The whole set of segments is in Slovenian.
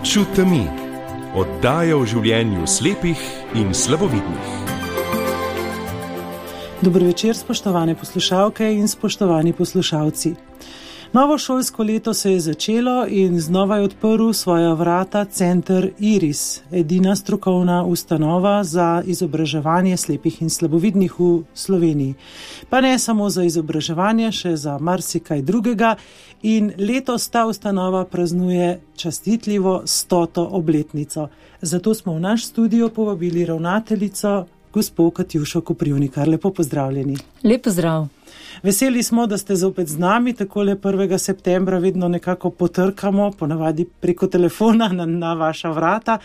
Luč v temi. Oddaja o življenju slepih in slabovidnih. Dobro večer, spoštovane poslušalke in spoštovani poslušalci. Novo šolsko leto se je začelo in znova je odprl svoja vrata Center Iris, edina strokovna ustanova za izobraževanje slepih in slabovidnih v Sloveniji. Pa ne samo za izobraževanje, še za marsikaj drugega, in letos ta ustanova praznuje častitljivo 100. obletnico. Zato smo v naš studio povabili ravnateljico gospo Katjušo Koprivnikar. Lepo pozdravljeni. Lep pozdrav. Veseli smo, da ste zopet z nami, takole 1. septembra vedno nekako potrkamo, ponavadi preko telefona na vaša vrata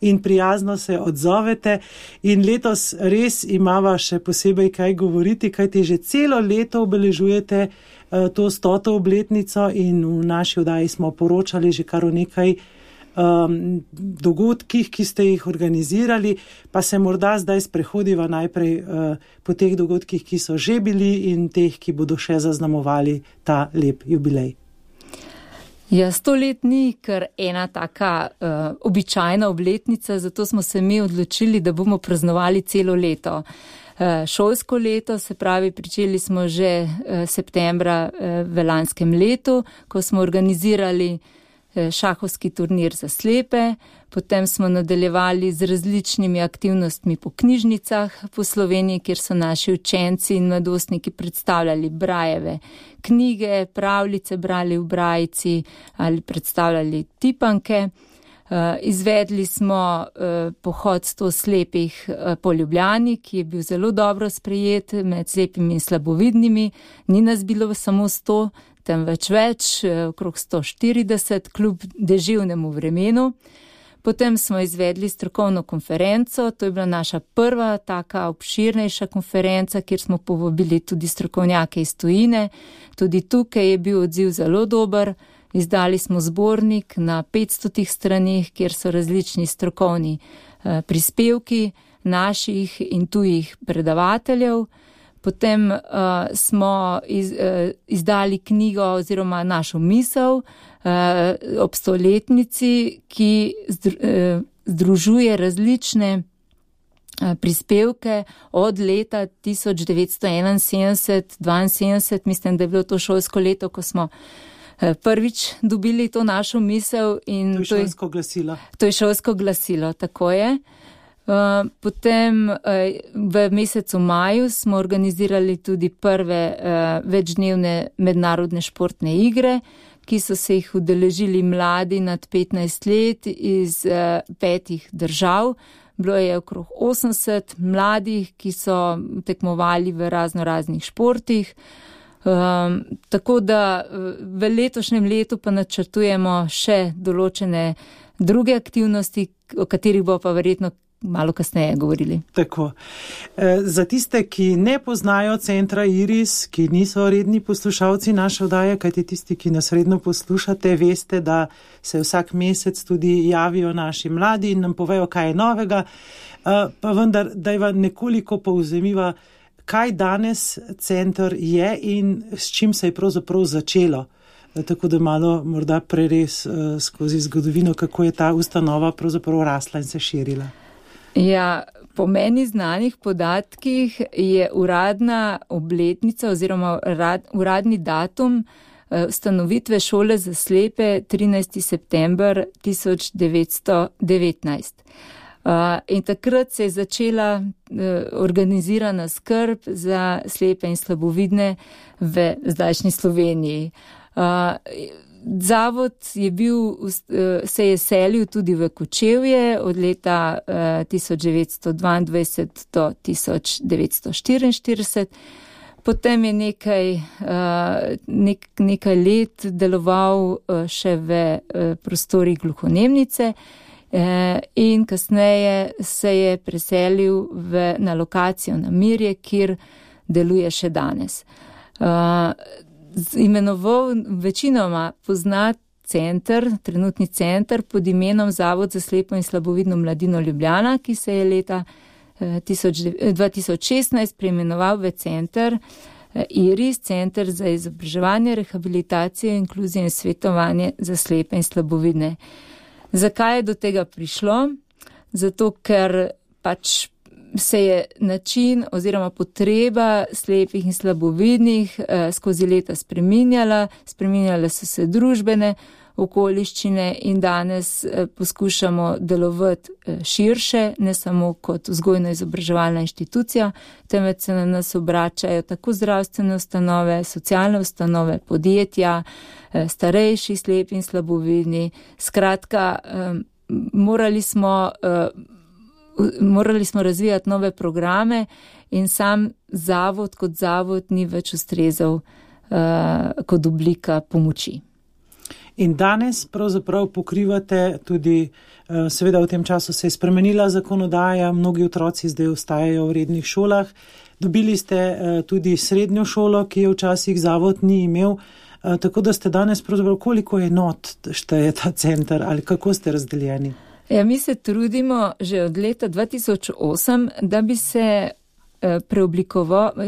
in prijazno se odzovete. In letos res imava še posebej kaj govoriti, kajti že celo leto obeležujete to 100. obletnico in v naši oddaji smo poročali že kar o nekaj dogodkih, ki ste jih organizirali, pa se morda zdaj sprehodiva najprej po teh dogodkih, ki so že bili in teh, ki bodo še zaznamovali ta lep jubilej. Ja, 100 let ni kar ena taka običajna obletnica, zato smo se mi odločili, da bomo praznovali celo leto. Šolsko leto, se pravi, pričeli smo že septembra v lanskem letu, ko smo organizirali šahovski turnir za slepe, potem smo nadaljevali z različnimi aktivnostmi po knjižnicah po Sloveniji, kjer so naši učenci in mladostniki predstavljali Brajeve knjige, pravljice brali v Brajici ali predstavljali tipanke. Izvedli smo pohod 100 slepih po Ljubljani, ki je bil zelo dobro sprejet med slepimi in slabovidnimi. Ni nas bilo samo 100, temveč več, okrog 140, kljub deževnemu vremenu. Potem smo izvedli strokovno konferenco, to je bila naša prva taka obširnejša konferenca, kjer smo povabili tudi strokovnjake iz tujine. Tudi tukaj je bil odziv zelo dober. Izdali smo zbornik na 500 stranih, kjer so različni strokovni prispevki naših in tujih predavateljev. Potem smo izdali knjigo oziroma našo misel ob 100-letnici, ki združuje različne prispevke od leta 1971-72. Mislim, da je bilo to šolsko leto, ko smo prvič dobili to našo misel. In to je šolsko glasilo. To je šolsko glasilo, tako je. Potem v mesecu maju smo organizirali tudi prve večdnevne mednarodne športne igre, ki so se jih udeležili mladi nad 15 let iz 5 držav. Bilo je okrog 80 mladih, ki so tekmovali v raznih športih. Tako da v letošnjem letu pa načrtujemo še določene druge aktivnosti, o katerih bo pa verjetno malo kasneje govorili. Tako. Za tiste, ki ne poznajo Centra Iris, ki niso redni poslušalci naše oddaje, kajti tisti, ki nas redno poslušate, veste, da se vsak mesec tudi javijo naši mladi in nam povejo, kaj je novega, pa vendar, da je nekoliko povzemiva, kaj danes Center je in s čim se je pravzaprav začelo. Tako da malo morda preres skozi zgodovino, kako je ta ustanova pravzaprav rasla in se širila. Ja, po meni znanih podatkih je uradna obletnica oziroma uradni datum ustanovitve šole za slepe 13. september 1919. In takrat se je začela organizirana skrb za slepe in slabovidne v zdajšnji Sloveniji. Zavod se je selil tudi v Kočevje od leta 1922 do 1944. Potem je nekaj let deloval še v prostorih gluhonemnice in kasneje se je preselil na lokacijo na Mirje, kjer deluje še danes. Imenoval večinoma poznat center, trenutni center pod imenom Zavod za slepo in slabovidno mladino Ljubljana, ki se je leta 2016 preimenoval v Center Iris, Center za izobraževanje, rehabilitacijo, inkluzijo in svetovanje za slepe in slabovidne. Zakaj je do tega prišlo? Zato, ker pač se je način oziroma potreba slepih in slabovidnih skozi leta spreminjale so se družbene okoliščine in danes poskušamo delovati širše, ne samo kot vzgojno-izobraževalna inštitucija, temveč se na nas obračajo tako zdravstvene ustanove, socialne ustanove, podjetja, starejši, slepi in slabovidni. Skratka, morali smo razvijati nove programe in sam zavod kot zavod ni več ustrezal kot oblika pomoči. In danes pravzaprav pokrivate tudi, seveda v tem času se je spremenila zakonodaja, mnogi otroci zdaj ostajajo v rednih šolah. Dobili ste tudi srednjo šolo, ki je včasih zavod ni imel, tako da ste danes pravzaprav koliko enot šteje ta center ali kako ste razdeljeni? Ja, mi se trudimo že od leta 2008, da bi se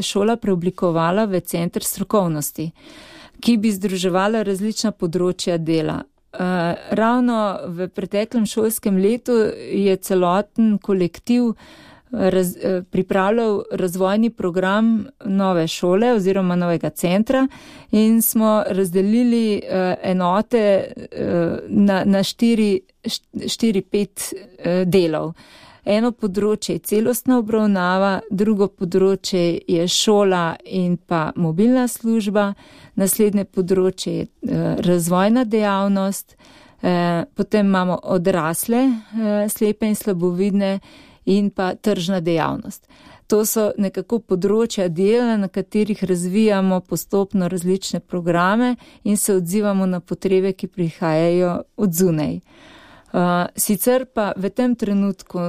šola preoblikovala v center strokovnosti, ki bi združevala različna področja dela. Ravno v preteklem šolskem letu je celoten kolektiv pripravljal razvojni program nove šole oziroma novega centra in smo razdelili enote na 4-5 delov. Eno področje je celostna obravnava, drugo področje je šola in pa mobilna služba, naslednje področje je razvojna dejavnost, potem imamo odrasle, slepe in slabovidne in pa tržna dejavnost. To so nekako področja dela, na katerih razvijamo postopno različne programe in se odzivamo na potrebe, ki prihajajo od zunaj. Sicer pa v tem trenutku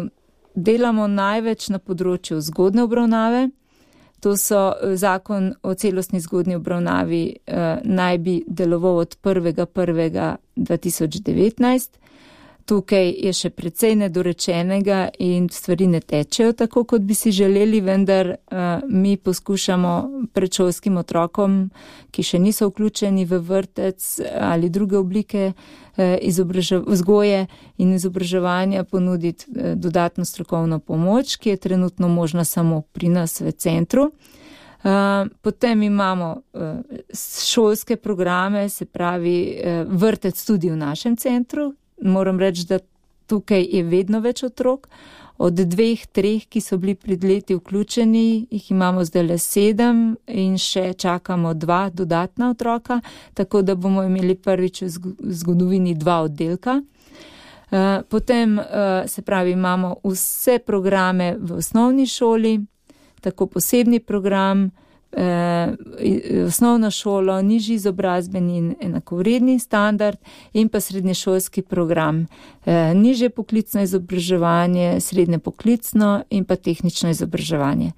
delamo največ na področju zgodnje obravnave. To so zakon o celostni zgodnji obravnavi naj bi deloval od 1.1.2019. Tukaj je še precej nedorečenega in stvari ne tečejo tako, kot bi si želeli, vendar mi poskušamo predšolskim otrokom, ki še niso vključeni v vrtec ali druge oblike vzgoje in izobraževanja, ponuditi dodatno strokovno pomoč, ki je trenutno možna samo pri nas v centru. Potem imamo šolske programe, se pravi vrtec tudi v našem centru. Moram reči, da tukaj je vedno več otrok. Od 2-3, ki so bili pred leti vključeni, jih imamo zdaj le 7 in še čakamo 2 dodatna otroka, tako da bomo imeli prvič v zgodovini 2 oddelka. Potem, se pravi, imamo vse programe v osnovni šoli, tako posebni program, osnovno šolo, nižji izobrazbeni in enakovredni standard in pa srednješolski program, nižje poklicno izobraževanje, srednje poklicno in pa tehnično izobraževanje.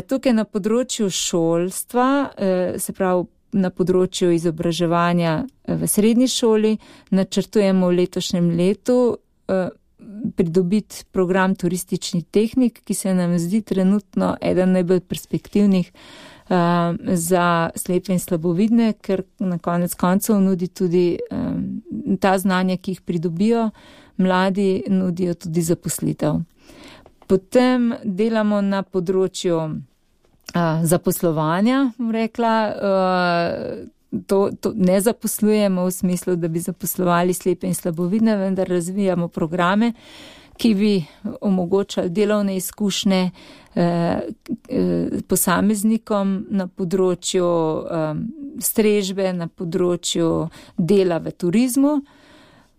Tukaj na področju šolstva, se pravi na področju izobraževanja v srednji šoli, načrtujemo v letošnjem letu pridobiti program turistični tehnik, ki se nam zdi trenutno eden najbolj perspektivnih za slepe in slabovidne, ker na konec koncev nudi tudi ta znanja, ki jih pridobijo, mladi nudijo tudi zaposlitev. Potem delamo na področju zaposlovanja, bom rekla, to ne zaposlujemo v smislu, da bi zaposlovali slepe in slabovidne, vendar razvijamo programe, ki bi omogočali delovne izkušnje posameznikom na področju strežbe, na področju dela v turizmu.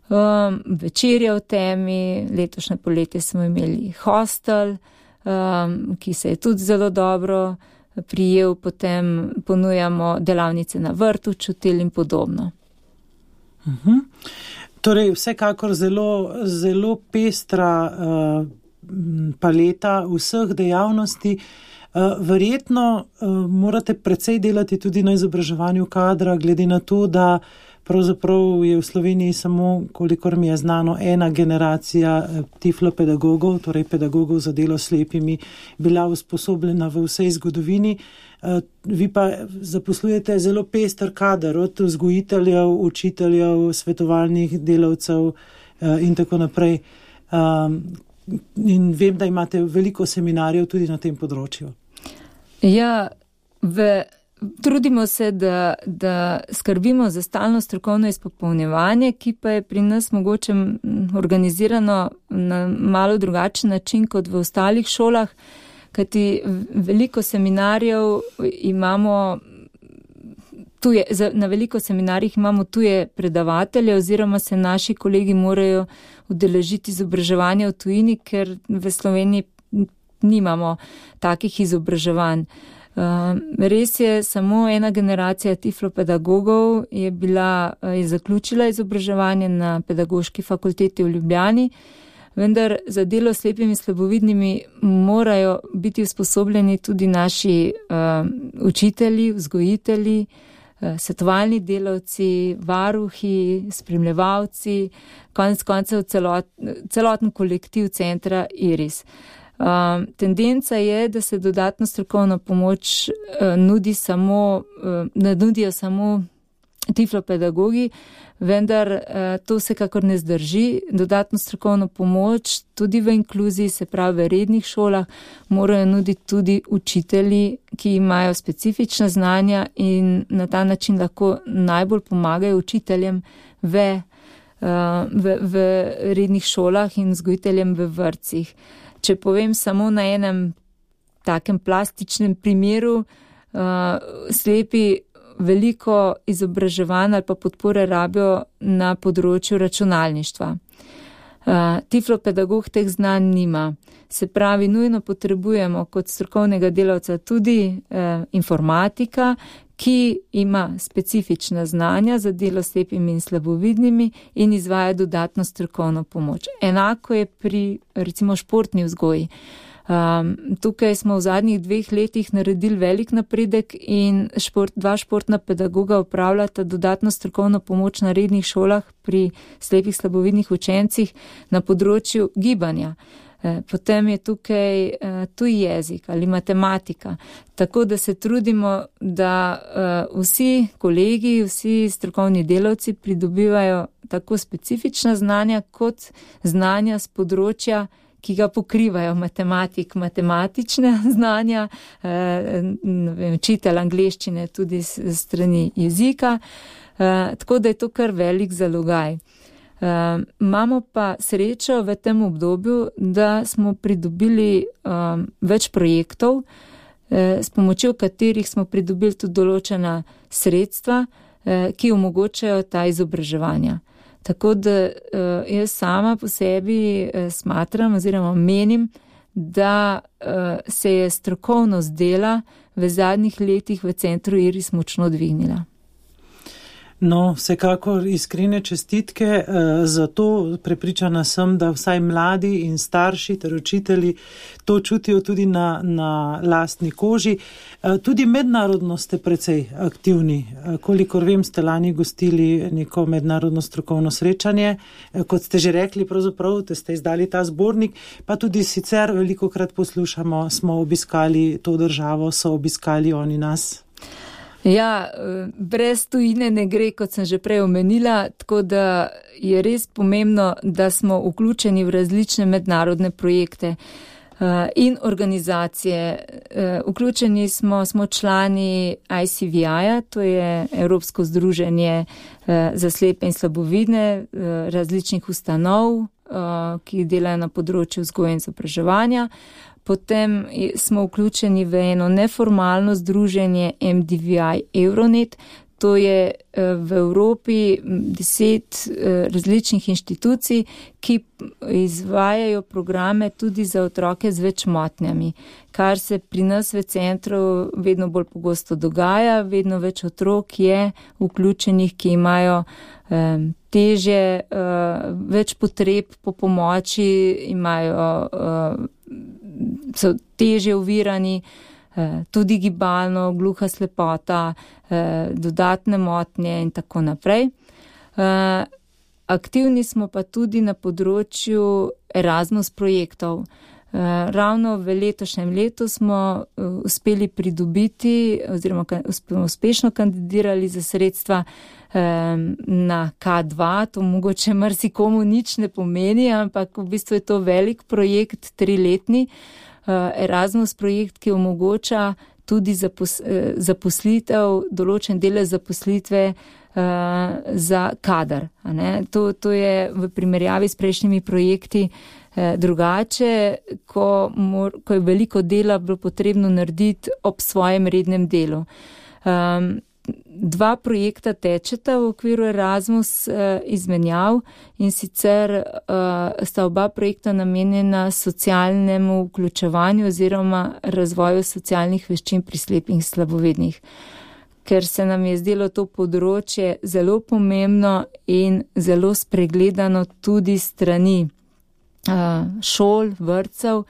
Večerja v temi, letošnje poletje smo imeli hostel, ki se je tudi zelo dobro prijel, potem ponujamo delavnice na vrtu, čutil in podobno. Torej, vsekakor zelo pestra paleta vseh dejavnosti. Verjetno morate precej delati tudi na izobraževanju kadra, glede na to, da pravzaprav je v Sloveniji samo, kolikor mi je znano, ena generacija tiflopedagogov, torej pedagogov za delo s slepimi, bila usposobljena v vsej zgodovini. Vi pa zaposlujete zelo pester kader, od vzgojiteljev, učiteljev, svetovalnih delavcev, in tako naprej. In vem, da imate veliko seminarjev tudi na tem področju. Ja, trudimo se, da skrbimo za stalno strokovno izpopolnjevanje, ki pa je pri nas mogoče organizirano na malo drugačen način kot v ostalih šolah, kajti veliko seminarjev imamo na veliko seminarjih imamo tuje predavatelje oziroma se naši kolegi morajo udeležiti izobraževanja v tujini, ker v Sloveniji nimamo takih izobraževanj. Res je, samo ena generacija tiflopedagogov je zaključila izobraževanje na Pedagoški fakulteti v Ljubljani, vendar za delo s slepimi in slabovidnimi morajo biti usposobljeni tudi naši učitelji, vzgojitelji, svetovalni delavci, varuhi, spremljevalci, konec koncev celoten kolektiv centra IRIS. Tendenca je, da se dodatno strokovno pomoč ne nudijo samo tiflopedagogi, vendar to vsekakor ne zdrži. Dodatno strokovno pomoč tudi v inkluziji, se pravi v rednih šolah, morajo nuditi tudi učitelji, ki imajo specifična znanja in na ta način lahko najbolj pomagajo učiteljem v rednih šolah in vzgojiteljem v vrtcih. Če povem samo na enem takem plastičnem primeru, slepi veliko izobraževanj ali pa podpore rabijo na področju računalništva. Tiflopedagog teh znanj nima. Se pravi, nujno potrebujemo kot strokovnega delavca tudi informatika, ki ima specifična znanja za delo s slepimi in slabovidnimi in izvaja dodatno strokovno pomoč. Enako je pri recimo športni vzgoji. Tukaj smo v zadnjih 2 letih naredili velik napredek in 2 športna pedagoga upravljata dodatno strokovno pomoč na rednih šolah pri slepih slabovidnih učencih na področju gibanja. Potem je tukaj tuji jezik ali matematika. Tako da se trudimo, da vsi kolegi, vsi strokovni delavci pridobivajo tako specifična znanja kot znanja z področja, ki ga pokrivajo matematične znanja, učitelj angleščine tudi strani jezika, tako da je to kar velik zalogaj. Imamo pa srečo v tem obdobju, da smo pridobili več projektov, s pomočjo katerih smo pridobili tudi določena sredstva, ki omogočajo ta izobraževanja. Tako da jaz sama po sebi smatram oziroma menim, da se je strokovnost dela v zadnjih letih v centru IRIS močno dvignila. No, vsekakor iskrene čestitke, zato prepričana sem, da vsaj mladi in starši ter učitelji to čutijo tudi na lastni koži. Tudi mednarodno ste precej aktivni. Kolikor vem, ste lani gostili neko mednarodno strokovno srečanje. Kot ste že rekli, pravzaprav, da ste izdali ta zbornik, pa tudi sicer velikokrat poslušamo, smo obiskali to državo, so obiskali oni nas. Ja, brez tujine ne gre, kot sem že prej omenila, tako da je res pomembno, da smo vključeni v različne mednarodne projekte in organizacije. Vključeni smo člani ICVI-ja, to je Evropsko združenje za slepe in slabovidne različnih ustanov, ki delajo na področju vzgoje in izobraževanja. Potem smo vključeni v eno neformalno združenje MDVI Euronet. To je v Evropi 10 različnih inštitucij, ki izvajajo programe tudi za otroke z več motnjami, kar se pri nas v centru vedno bolj pogosto dogaja. Vedno več otrok je vključenih, ki imajo težje, več potreb po pomoči, so težje ovirani, tudi gibalno, gluha slepota, dodatne motnje in tako naprej. Aktivni smo pa tudi na področju Erasmus projektov. Ravno v letošnjem letu smo uspeli pridobiti oziroma uspešno kandidirali za sredstva na K2. To mogoče marsikomu nič ne pomeni, ampak v bistvu je to velik projekt, 3-letni Erasmus projekt, ki omogoča tudi zaposlitev, določen delež zaposlitve za kader. To je v primerjavi s prejšnjimi projekti drugače, ko je veliko dela bilo potrebno narediti ob svojem rednem delu. 2 projekta tečeta v okviru Erasmus izmenjav, in sicer sta oba projekta namenjena socialnemu vključevanju oziroma razvoju socialnih veščin pri slepih in slabovidnih. Ker se nam je zdelo to področje zelo pomembno in zelo spregledano tudi strani šol, vrtcev,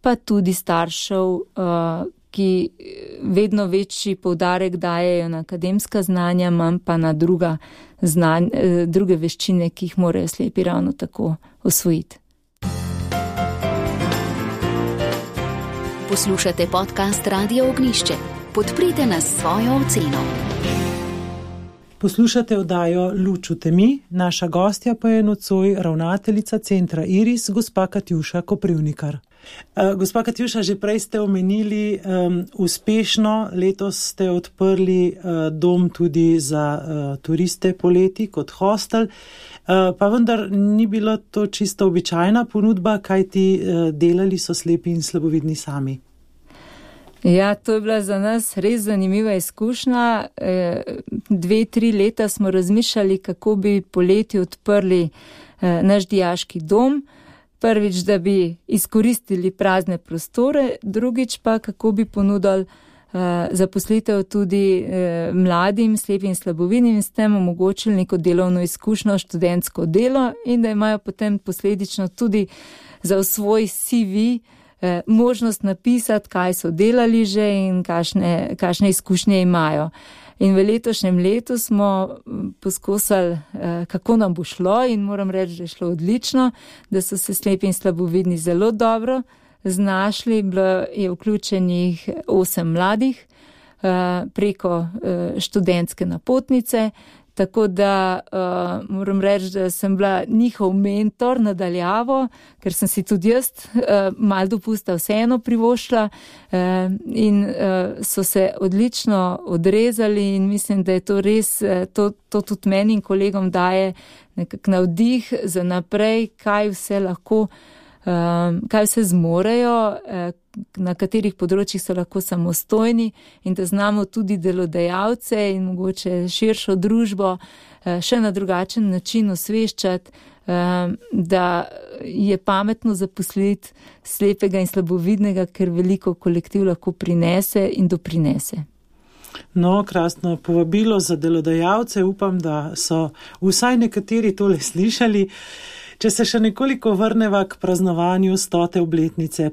pa tudi staršev, ki vedno večji poudarek dajejo na akademska znanja, manj pa na druge veščine, ki jih morajo slepi ravno tako osvojiti. Poslušate podcast Radio Ognjišče. Podprite nas s svojo oceno. Poslušate oddajo Luč v temi, naša gostja pa je nocoj ravnateljica centra Iris, gospa Katjuša Koprivnikar. Gospa Katjuša, že prej ste omenili uspešno, letos ste odprli dom tudi za turiste poleti kot hostel, pa vendar ni bilo to čisto običajna ponudba, kajti delali so slepi in slabovidni sami. Ja, to je bila za nas res zanimiva izkušnja. 2-3 leta smo razmišljali, kako bi poleti odprli naš dijaški dom. Prvič, da bi izkoristili prazne prostore, drugič pa, kako bi ponudili zaposlitev tudi mladim, slepim in slabovidnim in s tem omogočili neko delovno izkušnjo, študentsko delo in da imajo potem posledično tudi za svoj CV možnost napisati, kaj so delali že in kakšne izkušnje imajo. In v letošnjem letu smo poskusili, kako nam bo šlo, in moram reči, da je šlo odlično, da so se slepi in slabovidni zelo dobro znašli. Bilo je vključenih 8 mladih preko študentske napotnice, tako da moram reči, da sem bila njihov mentor nadaljavo, ker sem si tudi jaz malo dopusta vseeno privoščila in so se odlično odrezali in mislim, da je to res, to tudi meni in kolegom daje nekak navdih za naprej, kaj vse lahko, kaj vse zmorejo, na katerih področjih so lahko samostojni in da znamo tudi delodajalce in mogoče širšo družbo še na drugačen način osveščati, da je pametno zaposliti slepega in slabovidnega, ker veliko kolektiv lahko prinese in doprinese. No, krasno povabilo za delodajalce, upam, da so vsaj nekateri tole slišali. Če se še nekoliko vrneva k praznovanju 100. obletnice,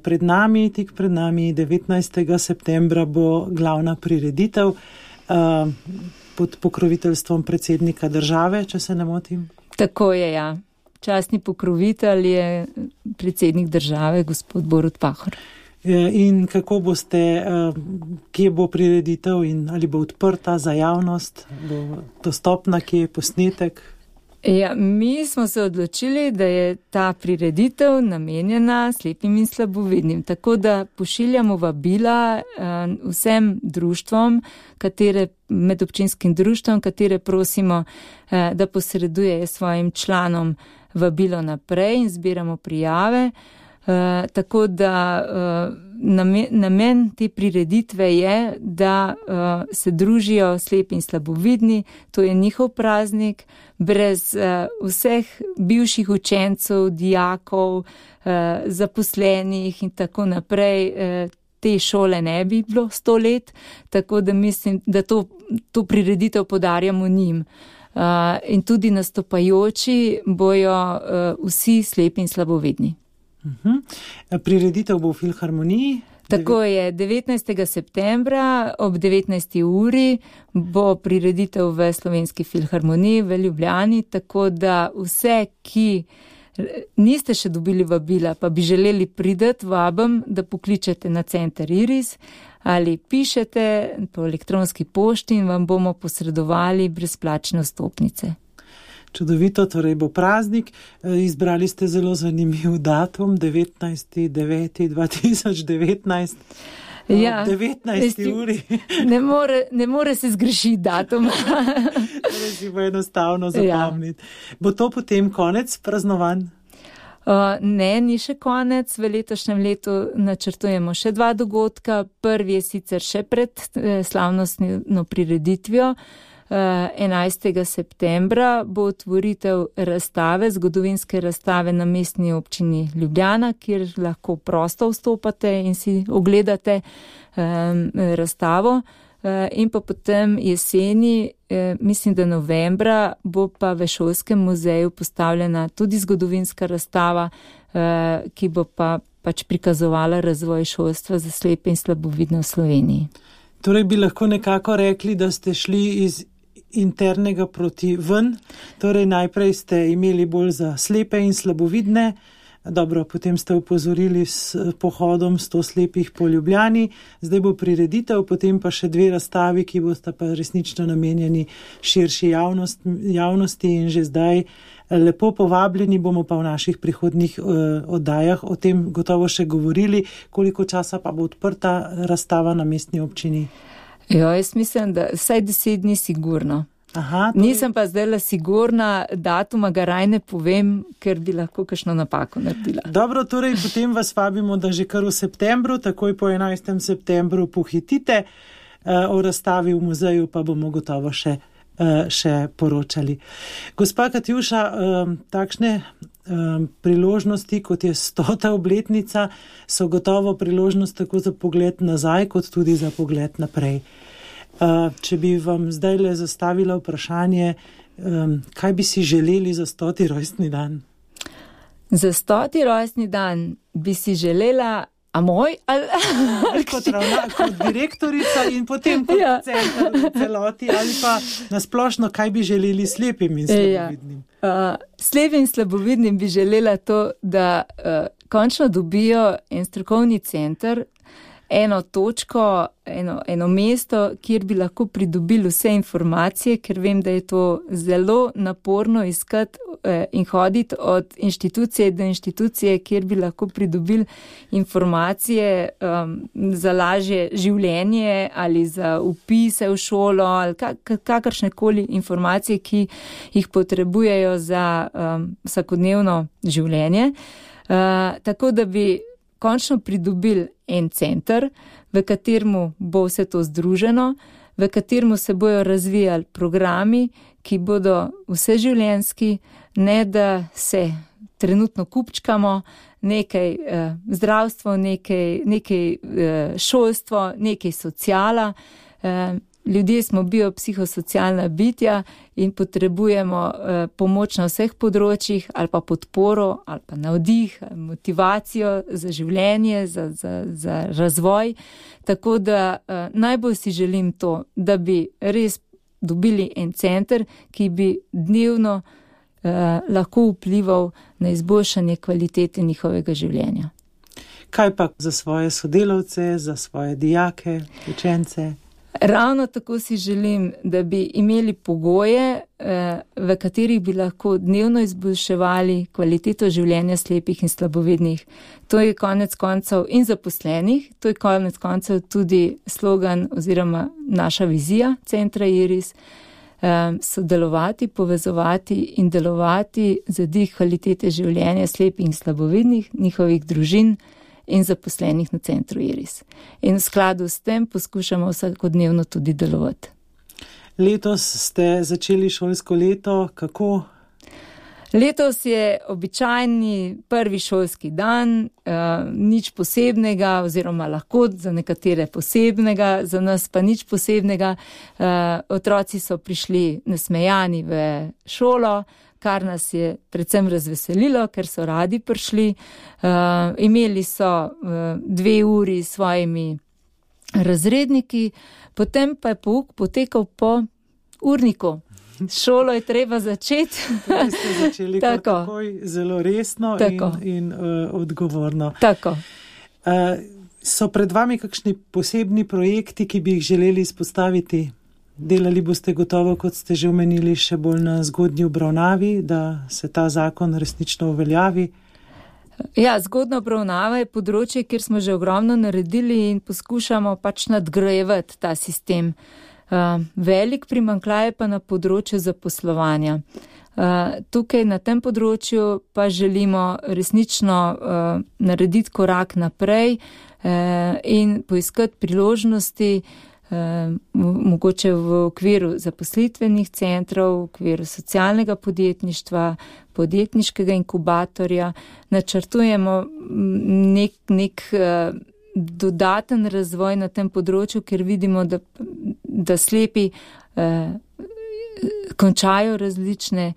tik pred nami 19. septembra bo glavna prireditev pod pokroviteljstvom predsednika države, če se ne motim. Tako je, ja. Častni pokrovitelj je predsednik države, gospod Borut Pahor. In kako boste, kje bo prireditev in ali bo odprta za javnost, bo dostopna, kje je posnetek? Ja, mi smo se odločili, da je ta prireditev namenjena slepim in slabovidnim, tako da pošiljamo vabila vsem društvom, medobčinskim društvom, katere prosimo, da posredujejo svojim članom vabilo naprej in zbiramo prijave. Tako da namen te prireditve je, da se družijo slepi in slabovidni, to je njihov praznik, brez vseh bivših učencev, dijakov, zaposlenih in tako naprej. Te šole ne bi bilo 100 let, tako da mislim, da to prireditev podarjamo njim. In tudi nastopajoči bojo vsi slepi in slabovidni. Prireditev bo v Filharmoniji? Tako je, 19. septembra ob 19. uri bo prireditev v Slovenski filharmoniji v Ljubljani, tako da vse, ki niste še dobili vabila, pa bi želeli prideti, vabim, da pokličete na center Iris ali pišete po elektronski pošti in vam bomo posredovali brezplačne vstopnice. Čudovito, torej bo praznik. Izbrali ste zelo zanimiv datum, 19.9.2019. Ja, 19. uri. Ne more se zgrešiti datum. Torej si bo enostavno zapomniti. Bo to potem konec praznovanj? Ne, ni še konec. V letošnjem letu načrtujemo še 2 dogodka. Prvi je sicer še pred slavnostno prireditvijo. 11. septembra bo otvoritev razstave, zgodovinske razstave na Mestni občini Ljubljana, kjer lahko prosto vstopate in si ogledate razstavo. In pa potem jeseni, mislim, da novembra, bo pa v Šolskem muzeju postavljena tudi zgodovinska razstava, ki bo pač prikazovala razvoj šolstva za slepe in slabovidne v Sloveniji. Torej bi lahko nekako rekli, da ste šli iz internega proti ven, torej najprej ste imeli bolj za slepe in slabovidne, dobro, potem ste upozorili s pohodom 100 slepih po Ljubljani, zdaj bo prireditev, potem pa še 2 razstavi, ki bosta pa resnično namenjeni širši javnosti in že zdaj lepo povabljeni, bomo pa v naših prihodnjih oddajah o tem gotovo še govorili, koliko časa pa bo odprta razstava na Mestni občini. Jo, jaz mislim, da vsaj 10 dni sigurno. Aha, Nisem pa zdaj sigurna, datuma ga raj ne povem, ker bi lahko kakšno napako naredila. Dobro, torej potem vas vabimo, da že kar v septembru, takoj po 11. septembru pohitite, o razstavi v muzeju pa bomo gotovo še poročali. Gospa Katjuša, takšne priložnosti, kot je 100. obletnica, so gotovo priložnost tako za pogled nazaj, kot tudi za pogled naprej. Če bi vam zdaj le zastavila vprašanje, kaj bi si želeli za 100. rojstni dan? Za 100. rojstni dan bi si želela, a moj ali kot direktorica in potem kot center v celoti, ali pa nasplošno, kaj bi želeli slepim in slabovidnim? Slepim in slabovidnim bi želela to, da končno dobijo en strokovni center, eno točko, eno mesto, kjer bi lahko pridobili vse informacije, ker vem, da je to zelo naporno iskati in hoditi od inštitucije do inštitucije, kjer bi lahko pridobili informacije za lažje življenje ali za vpise v šolo ali kakršnekoli informacije, ki jih potrebujejo za vsakodnevno življenje. Tako da bi končno pridobili en center, v kateremu bo vse to združeno, v kateremu se bojo razvijali programi, ki bodo vseživljenjski, ne da se trenutno kupčkamo, nekaj zdravstvo, nekaj šolstvo, nekaj sociala. Ljudje smo biopsihosocialna bitja in potrebujemo pomoč na vseh področjih ali pa podporo ali pa navdih, motivacijo za življenje, za razvoj. Tako da najbolj si želim to, da bi res dobili en center, ki bi dnevno lahko vplival na izboljšanje kvalitete njihovega življenja. Kaj pa za svoje sodelavce, za svoje dijake, učence? Ravno tako si želim, da bi imeli pogoje, v katerih bi lahko dnevno izboljševali kvaliteto življenja slepih in slabovidnih. To je konec koncev in zaposlenih, to je konec koncev tudi slogan oziroma naša vizija centra Iris, sodelovati, povezovati in delovati za dvig kvalitete življenja slepih in slabovidnih, njihovih družin in zaposlenih na centru Iris. In v skladu s tem poskušamo vsakodnevno tudi delovati. Letos ste začeli šolsko leto, kako? Letos je običajni prvi šolski dan, nič posebnega oziroma lahko za nekatere posebnega, za nas pa nič posebnega. Otroci so prišli nasmejani v šolo, kar nas je predvsem razveselilo, ker so radi prišli. Imeli so 2 uri s svojimi razredniki, potem pa je pouk potekal po urniku. šolo je treba začeti. Torej ste začeli takoj zelo resno in odgovorno. Tako. So pred vami kakšni posebni projekti, ki bi jih želeli izpostaviti? Delali boste gotovo, kot ste že omenili, še bolj na zgodnji obravnavi, da se ta zakon resnično uveljavi? Ja, zgodna obravnava je področje, kjer smo že ogromno naredili in poskušamo pač nadgrajevati ta sistem. Velik primanjkljaj pa na področju zaposlovanja. Tukaj na tem področju pa želimo resnično narediti korak naprej in poiskati priložnosti, mogoče v okviru zaposlitvenih centrov, v okviru socialnega podjetništva, podjetniškega inkubatorja. Načrtujemo nek dodaten razvoj na tem področju, ker vidimo, da slepi končajo različne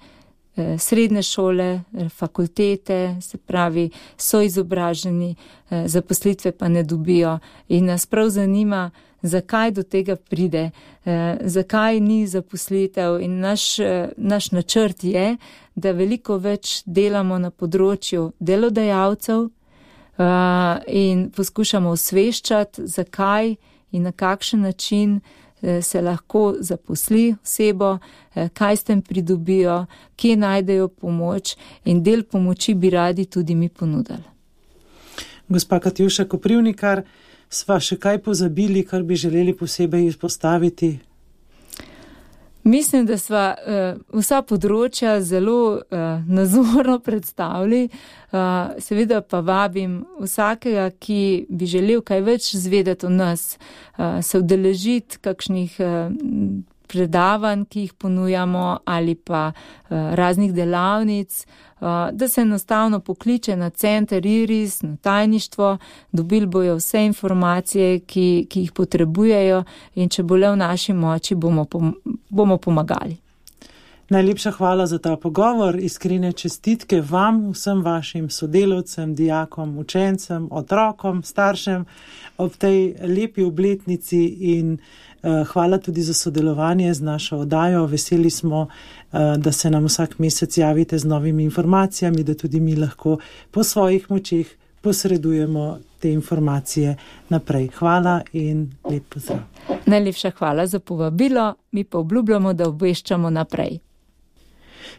srednje šole, fakultete, se pravi, so izobraženi, zaposlitve pa ne dobijo. In nas prav zanima, zakaj do tega pride, zakaj ni zaposlitev. In naš načrt je, da veliko več delamo na področju delodajalcev in poskušamo osveščati, zakaj in na kakšen način se lahko zaposli osebo, kaj s tem pridobijo, kje najdejo pomoč in del pomoči bi radi tudi mi ponudili. Gospa Katjuša Koprivnikar, sva še kaj pozabili, kar bi želeli posebej izpostaviti? Mislim, da sva vsa področja zelo nazorno predstavili. Seveda pa vabim vsakega, ki bi želel kaj več zvedeti o nas, se udeležiti kakšnih predavanj, ki jih ponujamo, ali pa raznih delavnic, da se enostavno pokliče na center IRIS, na tajništvo, dobili bojo vse informacije, ki jih potrebujejo in če bo le v naši moči, bomo pomagali. Najlepša hvala za ta pogovor, iskrene čestitke vam, vsem vašim sodelavcem, dijakom, učencem, otrokom, staršem ob tej lepi obletnici in hvala tudi za sodelovanje z našo oddajo. Veseli smo, da se nam vsak mesec javite z novimi informacijami, da tudi mi lahko po svojih močeh posredujemo te informacije naprej. Hvala in lep pozdrav. Najlepša hvala za povabilo, mi pa obljubljamo, da obveščamo naprej.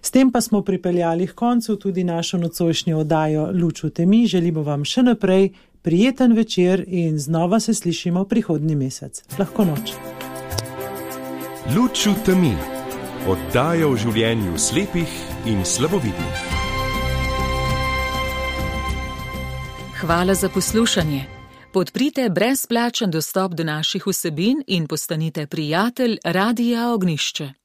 S tem pa smo pripeljali k koncu tudi našo nocojšnjo oddajo Luč v temi. Želimo vam še naprej prijeten večer in znova se slišimo prihodnji mesec. Lahko noč. Luč v temi. Oddaja o življenju slepih in slabovidnih. Hvala za poslušanje. Podprite brezplačen dostop do naših vsebin in postanite prijatelj Radia Ognišče.